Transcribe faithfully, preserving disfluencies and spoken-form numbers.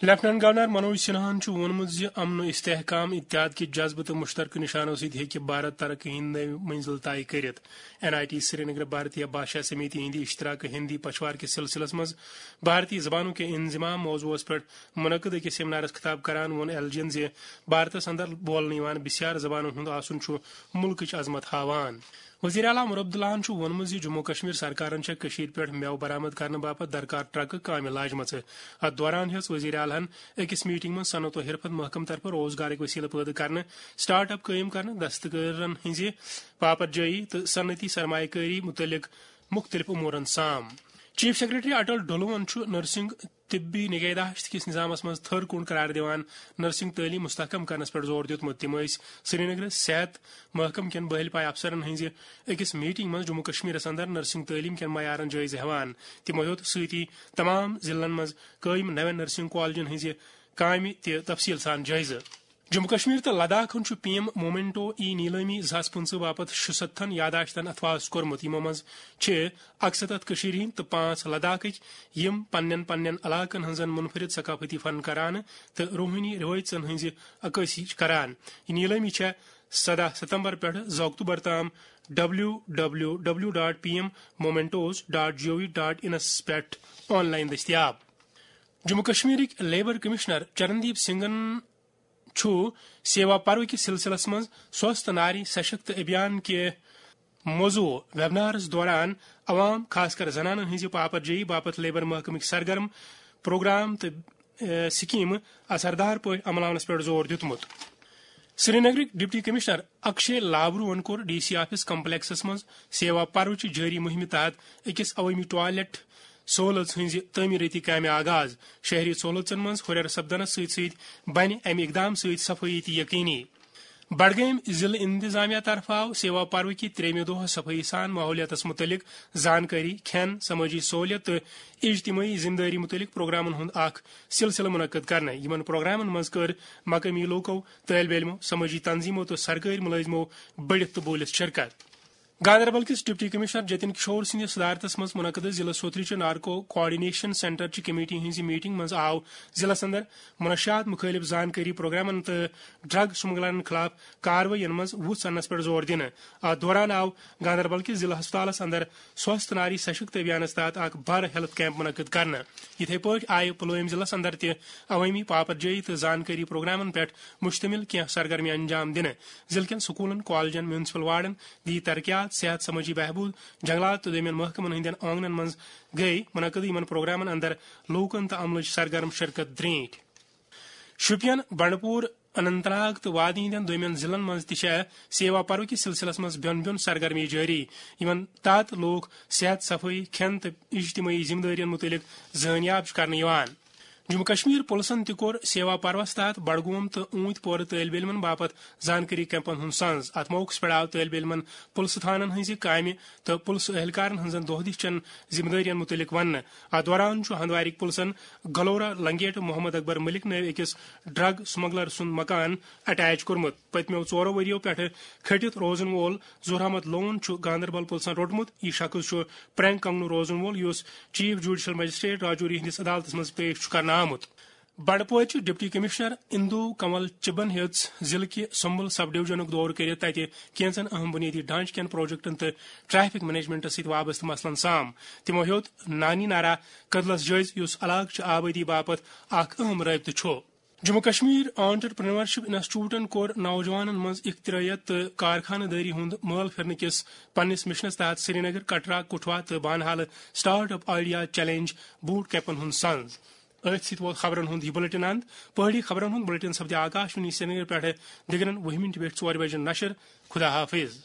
Lieutenant governor Manoj سنہاہن چھُ ووٚنمُت زِ امن و استحکام، اتحاد کہِ جذبہٕ تہٕ مشترکہٕ نشانو سۭتۍ ہیٚکہِ بھارت ترقی ہٕنٛدۍ نٔوۍ منزل طے کٔرِتھ۔ این آئی ٹی سرینگر بھارتیہ بھاشا سمیتی ہٕنٛدِ اشتراکہٕ ہندی پچھوار کِس سلسلس منٛز بھارتی زبانوں کے انضمام موضوعس پٮ۪ٹھ منعقد أکِس سیمینارس خطاب کران ووٚن ایل جی ین زِ بھارتس اندر بولنہٕ یِوان بسیار زبانن ہُنٛد آسُن چھُ مُلکٕچ عظمت ہاوان۔ وزیر اعلیٰ عمر عبداللہن چھُ ووٚنمُت زِ جموں کشمیر سرکارن چھےٚ کٔشیٖرِ پٮ۪ٹھ مٮ۪وٕ برآمد کرنہٕ باپتھ درکار ٹرکہٕ کامہِ لاجمژٕ۔ اتھ دوران ہیٚژ وزیر اعلیٰ ہن أکِس میٹنگ منٛز صنعت و حرفت محکمہٕ طرفہٕ روزگارٕکۍ وسیلہٕ پٲدٕ کرنہٕ، سٹارٹ اپ قٲیِم کرنہٕ، دستکارن ہٕنٛزِ پاپر جٲیی تہٕ صنعتی سرمایہ کٲری متعلق مُختٔلِف امورن سام۔ چیف سیکرٹری اٹل ڈھلوون چھُ نرسنگ طبی نگہداشت کِس نظامس منٛز تھٔر کُن قرار دِوان نرسنگ تعلیٖم مستحکم کرنس پٮ۪ٹھ زور دیُتمُت۔ تِم ٲسۍ سرینگرٕ صحت محکمہٕ کٮ۪ن بٲہلۍ پایہِ افسرن ہٕنٛزِ أکِس میٹنگ منٛز جموں کشمیرس اندر نرسنگ تعلیٖم کٮ۪ن معیارن جٲیزٕ ہٮ۪وان۔ تِمو ہیوٚت سۭتی تمام ضلعن منٛز قٲیِم نوٮ۪ن نرسنگ کالجن ہٕنٛزِ کامہِ تہِ تفصیل سان جٲیزٕ۔ جموں کشمیر تہٕ لداخن چھُ پی ایم مومنٹو ای نیلٲمی زٕ ساس پٕنٛژٕہ باپتھ شُستتھن یاداشتن اتھواس کوٚرمُت، یِمو منٛز چھِ اکستتھ کٔشیٖرِ ہٕنٛدۍ تہٕ پانٛژھ لداخٕکۍ، یِم پننٮ۪ن پننٮ۪ن علاقن ہٕنٛزن منفرد ثقافتی فنکارانہٕ تہٕ روحٲنی رِوٲیژن ہٕنٛزِ عکٲسی چھِ کران۔ یہِ نیلٲمی چھےٚ سداہ ستمبر پٮ۪ٹھٕ زٕ اکتوبر تام W W W dot P M momentos dot G O V dot انس پٮ۪ٹھ آن لائن دٔستیاب۔ جموں کشمیرٕکۍ لیبر کمشنر چرندیپ سنگھن چھُ سیوا پرو کِس سلسلس منٛز سوست ناری سشکت ابھیان کہِ موضوع ویبنارس دوران عوام، خاص کر زنانن ہٕنٛزِ پاپر جٲیی باپتھ لیبر محکمٕکۍ سرگرم پروگرام تہٕ، ا، سکیمہٕ اثردار پٲٹھۍ عملاونس پٮ۪ٹھ زور دیُتمُت۔ سرینگرٕکۍ ڈپٹی کمشنر اکشے لابروہن کوٚر ڈی سی آفس کمپلیکسس منٛز سیوا پروچہِ جٲری مُہِمہِ تحت أکِس عوٲمی ٹوائلٹ سہولژ ہٕنٛزِ تعمیٖرٲتی کامہِ آغاز۔ شہری سہولژن منٛز ہُرٮ۪ر سپدنس سۭتۍ سۭتۍ بنہِ امہِ اقدام سۭتۍ صفٲیی تہِ یقینی۔ بڈگٲمۍ ضلعہٕ انتظامیہ طرفہٕ آو سیوا پروٕکہِ ترٛیٚیمہِ دۄہ صفٲیی سان ماحولیاتس متعلق زانکٲری، کھٮ۪ن، سمٲجی سہولیت تہٕ اجتمٲعی ذمہٕ دٲری متعلق پروگرامن ہُنٛد اکھ سلسلہٕ منعقد کرنہٕ۔ یِمن پروگرامن منٛز کٔر مقٲمی لوٗکو، طٲلبہِ علمو، سمٲجی تنظیمو تہٕ سرکٲرۍ مُلٲزمو بٔڑِتھ تہٕ بوٗلِتھ شرکت۔ گاندربل کِس ڈپٹی کمشنر جتن کشور سٕنٛدِ صدارتس منٛز منعقدٕ ضلع سوتھرٕچہِ نارکو کوآرڈینیشن سینٹرچہِ کمیٹی ہٕنٛزِ میٹنگ منٛز آو ضلعس اندر منشیات مُخٲلف زانکٲری پروگرامن تہٕ ڈرگ سمگلرن خلاف کاروٲیین منٛز وُژھ اننس پٮ۪ٹھ زور دِنہٕ۔ اتھ دوران آو گاندربل کِس ضلع ہسپتالس اندر سوست ناری سشکت ابھیانس تحت اکھ بڑ ہیلتھ کیمپ منعقد کرنہٕ۔ یِتھے پٲٹھۍ آیہِ پلوٲمۍ ضلعس اندر تہِ عوٲمی پاپر جٲیی تہٕ زانکٲری پروگرامن پٮ۪ٹھ مشتمل کینٛہہ سرگرمی انجام دِنہٕ۔ ضلعہٕ کٮ۪ن سکوٗلن، کالجن، میونسپل وارڈن، دی ترقیات، صحت، سمٲجی بہبود، جنگلات تہٕ دوٚیمٮ۪ن محکمن ہٕنٛدٮ۪ن آنگنن منٛز گٔے منعقد۔ یِمن پروگرامن اندر لوٗکن تہٕ عملٕچ سرگرم شرکت درینٹھ۔ شوپین، بنڈپور، اننت ناگ تہٕ وادی ہٕنٛدٮ۪ن دوٚیمٮ۪ن ضلعن منٛز تہِ چھےٚ سیوا پرو کِس سلسلس منٛز بیوٚن بیوٚن سرگرمی جٲری، یِمن تحت لوٗکھ صحت، صفٲیی، کھٮ۪ن تہٕ اجتمٲعی ذمہٕ دٲرین مُتعلق زٲنیاب چھِ کرنہٕ یِوان۔ جموں کشمیر پُلسن تہِ کوٚر سیوا پروس تحت بڈگوم تہٕ اوٗنتۍ پورٕ طٲلبہِ علمن باپتھ زانکٲری کیمپن ہُنٛد سنز۔ اتھ موقعس پٮ۪ٹھ آو طٲلبہِ علمن پُلسہٕ تھانن ہٕنٛزِ کامہِ تہٕ پُلسہٕ اہلکارن ہٕنٛزن دۄہ دِش چٮ۪ن ذمہٕ دٲرین مُتعلق وننہٕ۔ اتھ دوران چھُ ہندوارٕکۍ پُلسن گلورا لنگیٹ محمد اکبر ملک نٲوۍ أکِس ڈرگ سمگلر سُنٛد مکان اٹیچ کوٚرمُت۔ پٔتمیو ژورو ؤرِیو پٮ۪ٹھٕ کھٔٹِتھ روزن وول ظہور احمد لون چھُ گاندربل پُلسن روٚٹمُت۔ یہِ شخص چھُ پرینگ کنگنو روزن وول، یُس چیف جوڈیشل مجسٹریٹ راجوری ہٕنٛدِس عدالتس منٛز پیش چھُ کرنہٕ آمُت۔ بنڈپورچہِ ڈپٹی کمشنر اندو کنول چبن ہیٚژ ضلعہٕ کہِ سمبل سب ڈویژنُک دورٕ کٔرِتھ تتہِ کینژن اہم بنیٲدی ڈھانچہٕ کٮ۪ن پروجیکٹن تہٕ ٹریفک مینجمنٹس سۭتۍ وابستہٕ مسلن سام۔ تِمو ہیوٚت نانی نارا کدلس جٲیزٕ، یُس علاقہٕ چہِ آبٲدی باپتھ اکھ اہم رٲبطہٕ چھُ۔ جموں کشمیر آنٹرپرینورشپ انسٹیٹیوٹن کوٚر نوجوانن منٛز اختراعیت تہٕ کارخانہٕ دٲری ہُنٛد مٲل پھِرنہٕ کِس پننِس مشنس تحت سرینگر، کٹرا، کٹھوا تہٕ بانہالہٕ startup idea challenge boot کیمپن ہُنٛد سنز۔ أتھۍ سۭتۍ ووت خبرن ہُنٛد یہِ بلیٹن اند۔ پہٲڑی خبرن ہُنٛد بلیٹن سپدِ آکاش وانی سرینگر پٮ۪ٹھٕ دِگرن وُہہِ مِنٹہِ پٮ۪ٹھ ژورِ بجہِ نشر۔ خدا حافظ۔